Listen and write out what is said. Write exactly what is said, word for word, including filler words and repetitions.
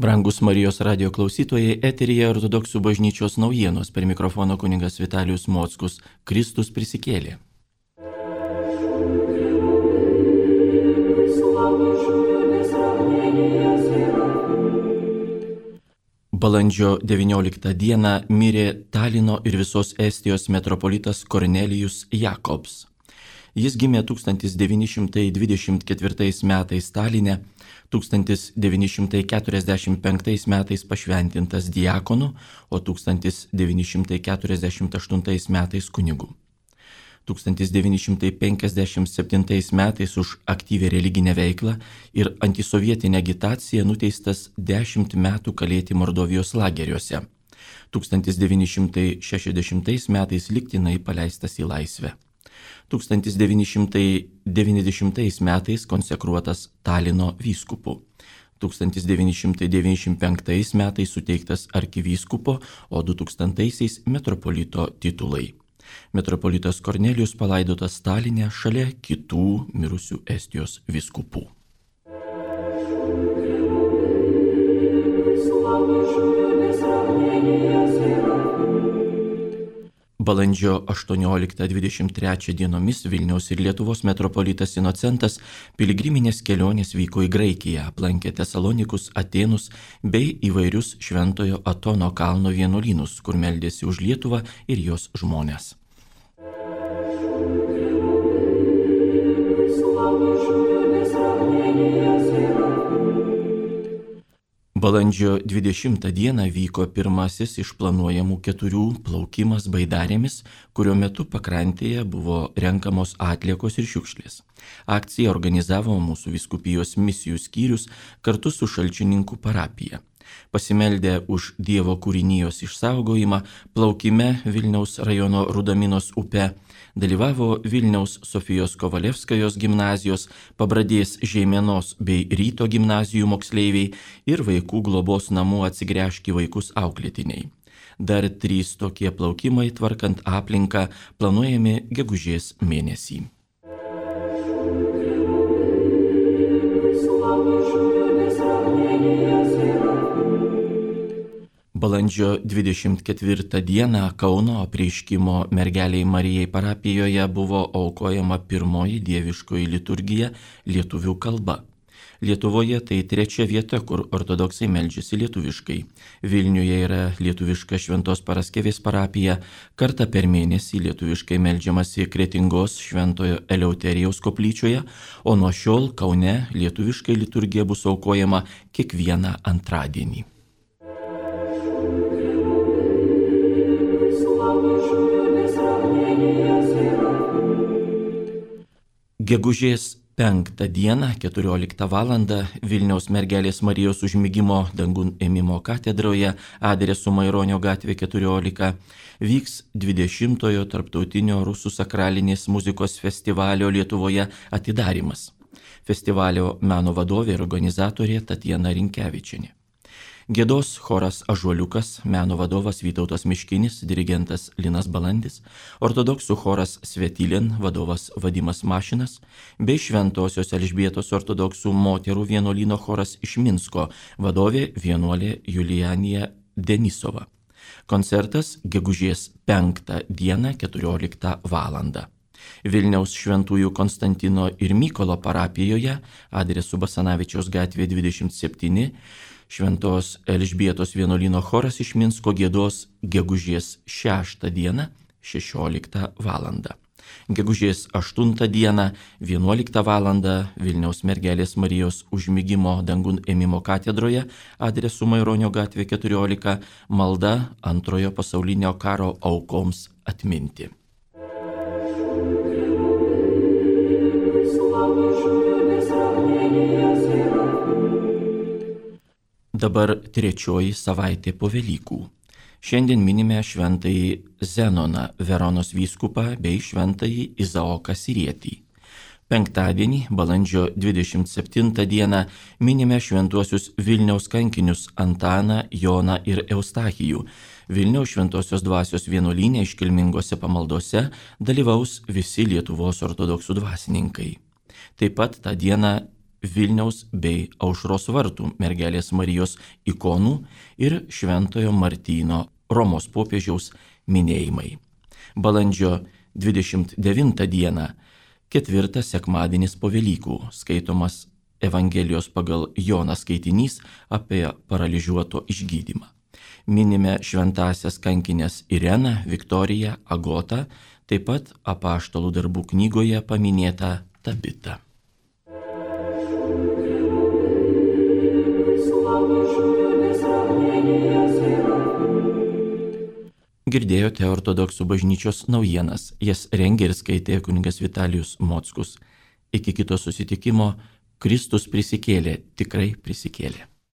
Brangus Marijos radio klausytojai, eteryje Ortodoksų bažnyčios naujienos, per mikrofono kunigas Vitalijus Mockus. Kristus prisikėlė. Balandžio devynioliktą dieną mirė Talino ir visos Estijos metropolitas Kornelijus Jakobs. Jis gimė tūkstantis devyni šimtai dvidešimt ketvirtais metais Taline, tūkstantis devyni šimtai keturiasdešimt penktais metais pašventintas diakonu, o tūkstantis devyni šimtai keturiasdešimt aštuntais metais kunigu. tūkstantis devyni šimtai penkiasdešimt septintais metais už aktyvią religinę veiklą ir antisovietinę agitaciją nuteistas dešimt metų kalėti Mordovijos lageriuose. tūkstantis devyni šimtai šešiasdešimtais metais lygtinai paleistas į laisvę. tūkstantis devyni šimtai devyniasdešimtais metais konsekruotas Talino vyskupu. tūkstantis devyni šimtai devyniasdešimt penktais metais suteiktas arkivyskupo, o du tūkstantaisiais metropolito titulai. Metropolitas Kornelijus palaidotas Taline šalia kitų mirusių Estijos vyskupų. Balandžio aštuonioliktą dvidešimt trečią dienomis Vilniaus ir Lietuvos metropolitas Inocentas piligriminės kelionės vyko į Graikiją, aplankė Tesalonikus, Atėnus bei įvairius Šventojo Atono kalno vienuolynus, kur meldėsi už Lietuvą ir jos žmones. Balandžio dvidešimtą dieną vyko pirmasis iš planuojamų keturių plaukimas baidarėmis, kurio metu pakrantėje buvo renkamos atliekos ir šiukšlės. Akciją organizavo mūsų vyskupijos misijų skyrius kartu su Šalčininkų parapija. Pasimeldę už Dievo kūrinijos išsaugojimą, plaukime Vilniaus rajono Rudaminos upe dalyvavo Vilniaus Sofijos Kovalevskajos gimnazijos, Pabradės Žeimenos bei Ryto gimnazijų moksleiviai ir vaikų globos namų Atsigręžk į vaikus auklėtiniai. Dar trys tokie plaukimai, tvarkant aplinką, planuojami gegužės mėnesį. Balandžio dvidešimt ketvirtą dieną Kauno apreiškimo mergeliai Marijai parapijoje buvo aukojama pirmoji dieviškoji liturgija lietuvių kalba. Lietuvoje tai trečia vieta, kur ortodoksai meldžiasi lietuviškai. Vilniuje yra lietuviška Šventos Paraskevės parapija, kartą per mėnesį lietuviškai meldžiamasi Kretingos Šventojo Eleuterijaus koplyčioje, o nuo šiol Kaune lietuviškai liturgija bus aukojama kiekvieną antradienį. Gegužės penktą dieną, keturioliktą valandą Vilniaus mergelės Marijos užmigimo dangun ėmimo katedroje adresu Maironio gatvė keturiolika vyks dvidešimtojo tarptautinio rusų sakralinės muzikos festivalio Lietuvoje atidarymas. Festivalio meno vadovė ir organizatorė Tatjana Rinkevičienė. Giedos choras Ąžuoliukas, meno vadovas Vytautas Miškinis, dirigentas Linas Balandis, ortodoksų choras Svetilin, vadovas Vadimas Mašinas, bei Šventosios Elžbietos ortodoksų moterų vienuolyno choras iš Minsko, vadovė vienuolė Julianija Denisova. Koncertas gegužės penktą dieną keturioliktą valandą. Vilniaus Šventųjų Konstantino ir Mykolo parapijoje, adresu Basanavičiaus gatvė dvidešimt septyni, Šventos Elžbietos vienuolyno choras iš Minsko giedos gegužės šeštą dieną šešioliktą valandą. Gegužės aštuntą dieną vienuoliktą valandą Vilniaus mergelės Marijos užmigimo dangun ėmimo katedroje adresu Maironio gatvė keturiolika malda antrojo pasaulinio karo aukoms atminti. Dabar trečioji savaitė po Velykų. Šiandien minime šventąjį Zenoną, Veronos vyskupą bei šventąjį Izaoką Sirietį. Penktadienį, balandžio dvidešimt septintą dieną, minime šventuosius Vilniaus kankinius Antaną, Joną ir Eustachijų. Vilniaus šventosios dvasios vienuolyne iškilmingose pamaldose dalyvaus visi Lietuvos ortodoksų dvasininkai. Taip pat tą dieną Vilniaus bei Aušros vartų mergelės Marijos ikonų ir Šventojo Martyno Romos popiežiaus minėjimai. Balandžio dvidešimt devintą dieną, ketvirtas sekmadienis po Velykų, skaitomas Evangelijos pagal Joną skaitinys apie paralyžiuoto išgydymą. Minime šventąsias kankinės Ireną, Viktoriją, Agotą, taip pat apaštalų darbų knygoje paminėtą Tabitą. Girdėjote ortodoksų bažnyčios naujienas, jas rengė ir skaitė kunigas Vitalijus Mockus. Iki kito susitikimo, Kristus prisikėlė, tikrai prisikėlė.